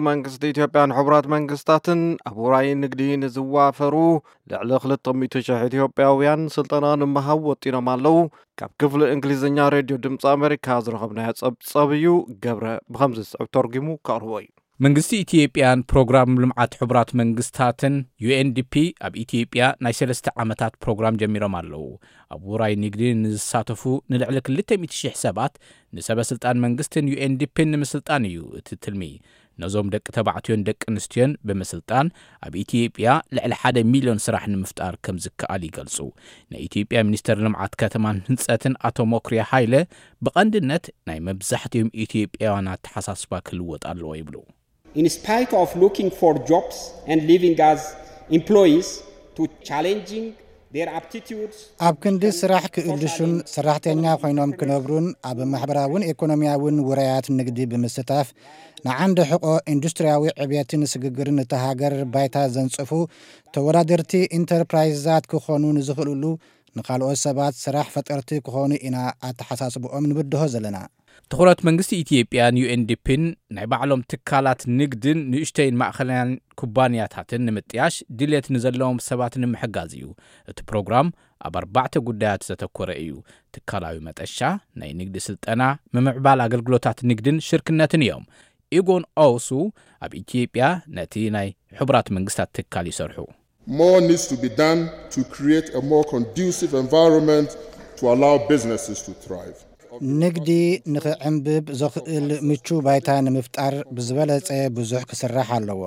መንግስቲ ኢትዮጵያን ሕቡራት መንግስታትን ኣብ ውራይ ንግዲ ንዝዋፈሩ ልዕሊ ክልተ ሚእቲ ሺሕ ኢትዮጵያውያን ስልጠና ንምሃብ ወጢኖም ኣለዉ። ካብ ክፍሊ እንግሊዝኛ ሬድዮ ድምፂ ኣሜሪካ ዝረኸብናዮ ጸብጸብ እዩ። ገብረ ብኸምዚ ዝስዕብ ተርጉሙ ከቕርቦ እዩ። መንግስቲ ኢትዮጵያን ፕሮግራም ልምዓት ሕቡራት መንግስታትን፣ ዩ ኤን ዲ ፒ፣ ኣብ ኢትዮጵያ ናይ ሰለስተ ዓመታት ፕሮግራም ጀሚሮም ኣለዉ። ኣብ ውራይ ንግዲ ንዝሳተፉ ንልዕሊ ክልተ ሚእቲ ሺሕ ሰባት ንሰበ ስልጣን መንግስትን ዩ ኤን ዲ ፒን ንምስልጣን እዩ እቲ ትልሚ። ነዞም ደቂ ተባዕትዮን ደቂ ኣንስትዮን ብምስልጣን ኣብ ኢትዮጵያ ልዕሊ ሓደ ሚልዮን ስራሕ ንምፍጣር ከም ዝከኣል ይገልጹ። ናይ ኢትዮጵያ ሚኒስተር ልምዓት ከተማን ህንጸትን ኣቶ ሞክሪያ ሃይለ ብቐንድነት ናይ መብዛሕትኦም ኢትዮጵያውያን ኣተሓሳስባ ክልወጥ ኣለዎ ይብሉ። In spite of looking for jobs and living as employees to challenging their aptitudes, ኣብ ክንዲ ስራሕ ክእልሹን ሰራሕተኛ ኮይኖም ክነብሩን ኣብ ማሕበራውን ኢኮኖሚያውን ውራያት ንግዲ ብምስታፍ ንዓንዲ ሕቆ ኢንዱስትሪያዊ ዕብየትን ስግግርን እታ ሃገር ባይታ ዘንጽፉ ተወዳደርቲ ኢንተርፕራይዛት ክኾኑ ንዝኽእልሉ ንኻልኦት ሰባት ስራሕ ፈጠርቲ ክኾኑ ኢና ኣተሓሳስብኦም ንብድሆ ዘለና። ትኹረት መንግስቲ ኢትዮጵያን ዩ ኤን ዲ ፒን ናይ ባዕሎም ትካላት ንግድን ንእሽተይን ማእኸለያን ኩባንያታትን ንምጥያሽ ድሌት ንዘለዎም ሰባት ንምሕጋዝ እዩ። እቲ ፕሮግራም ኣብ ኣርባዕተ ጉዳያት ዘተኮረ እዩ። ትካላዊ መጠሻ፣ ናይ ንግዲ ስልጠና፣ ምምዕባል ኣገልግሎታት ንግድን ሽርክነትን እዮም። ኢጎን ኦውሱ ኣብ ኢትዮጵያ ነቲ ናይ ሕቡራት መንግስታት ትካል ይሰርሑ። More needs to be done to create a more conducive environment to allow businesses to thrive. ንግዲ ንኽዕንብብ ዘኽእል ምቹ ባይታ ንምፍጣር ብዝበለጸ ብዙሕ ክስራሕ ኣለዎ።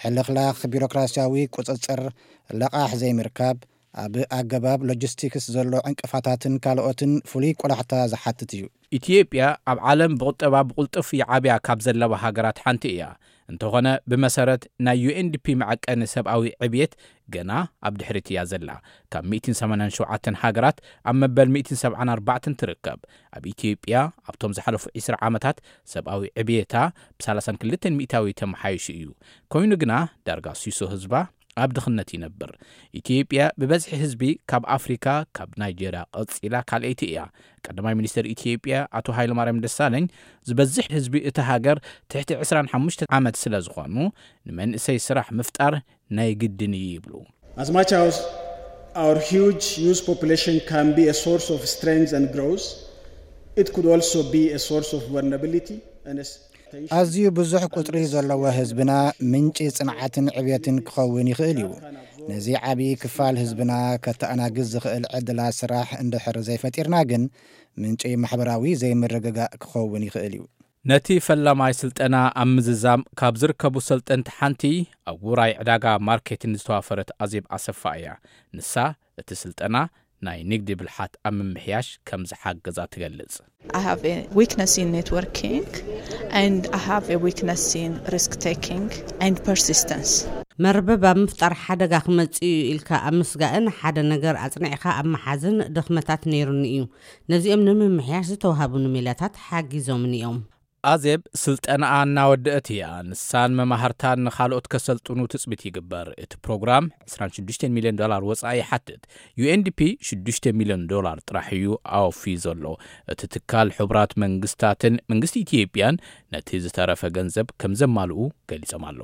ሕልኽላኽ ቢሮክራሲያዊ ቁጽጽር፣ ለቓሕ ዘይምርካብ፣ ኣብ ኣገባብ ሎጂስቲክስ ዘሎ ዕንቅፋታትን ካልኦትን ፍሉይ ቆላሕታ ዝሓትት እዩ። ኢትዮጵያ ኣብ ዓለም ብቁጠባ ብቕልጡፍ ይዓብያ ካብ ዘለዋ ሃገራት ሓንቲ እያ። እንተኾነ ብመሰረት ናይ ዩ ኤን ዲ ፒ መዐቀኒ ሰብኣዊ ዕብየት ገና ኣብ ድሕሪት እያ ዘላ። ካብ ሚእትን ሰማንያን ሸውዓተን ሃገራት ኣብ መበል ሚእትን ሰብዓን ኣርባዕተን ትርከብ። ኣብ ኢትዮጵያ ኣብቶም ዝሓለፉ ዕስራ ዓመታት ሰብኣዊ ዕብየታ ብ ሰላሳን ክልተን ሚእታዊ ተመሓይሹ እዩ። ኮይኑ ግና ዳርጋ ሲሶ ህዝባ ኣብ ድኽነት ይነብር። ኢትዮጵያ ብበዝሒ ህዝቢ ካብ ኣፍሪካ ካብ ናይጀርያ ቀፂላ ካልኣይቲ እያ። ቀዳማይ ሚኒስትር ኢትዮጵያ ኣቶ ሃይለማርያም ደሳለኝ ዝበዝሕ ህዝቢ እታ ሃገር ትሕቲ ዕስራን ሓሙሽተን ዓመት ስለ ዝኾኑ ንመንእሰይ ስራሕ ምፍጣር ናይ ግድን እዩ ይብሉ። As much as our huge youth population can be a source of strength and growth, it could also be a source of vulnerability and a ኣዝዩ ብዙሕ ቁጽሪ ዘለዎ ህዝብና ምንጪ ጽንዓትን ዕብየትን ክኸውን ይኽእል እዩ። ነዚ ዓቢ ክፋል ህዝብና ከተኣናግድ ዝኽእል ዕድላት ስራሕ እንድሕር ዘይፈጢርና ግን ምንጪ ማሕበራዊ ዘይምርግጋእ ክኸውን ይኽእል እዩ። ነቲ ፈላማይ ስልጠና ኣብ ምዝዛም ካብ ዝርከቡ ሰልጠንቲ ሓንቲ ኣብ ውራይ ዕዳጋ ማርኬትን ዝተዋፈረት ኣዜብ ኣሰፋ እያ። ንሳ እቲ ስልጠና ናይ ንግዲ ብልሓት ኣብ ምምሕያሽ ከም ዝሓገዛ ትገልጽ። I have a weakness in networking and I have a weakness in risk taking and persistence. መርበብ ኣብ ምፍጣር ሓደጋ ክመጽእ እዩ ኢልካ ኣብ ምስጋእን ሓደ ነገር ኣጽኒዕካ ኣብ ምሓዝን ድኽመታት ነይሩኒ እዩ። ነዚኦም ንምምሕያሽ ዝተዋህቡኒ ሜላታት ሓጊዞምኒ እዮም። ኣዜብ ስልጠናኣ እናወደአት እያ። ንሳን መማህርታን ንኻልኦት ከሰልጥኑ ትጽቢት ይግበር። እቲ ፕሮግራም ዕስራን ሽዱሽተን ሚልዮን ዶላር ወጻኢ ይሓትት። ዩ ኤን ዲ ፒ ሽዱሽተ ሚልዮን ዶላር ጥራሕ እዩ ኣወፍዩ ዘሎ። እቲ ትካል ሕቡራት መንግስታትን መንግስቲ ኢትዮጵያን ነቲ ዝተረፈ ገንዘብ ከም ዘማልኡ ገሊጾም ኣለዉ።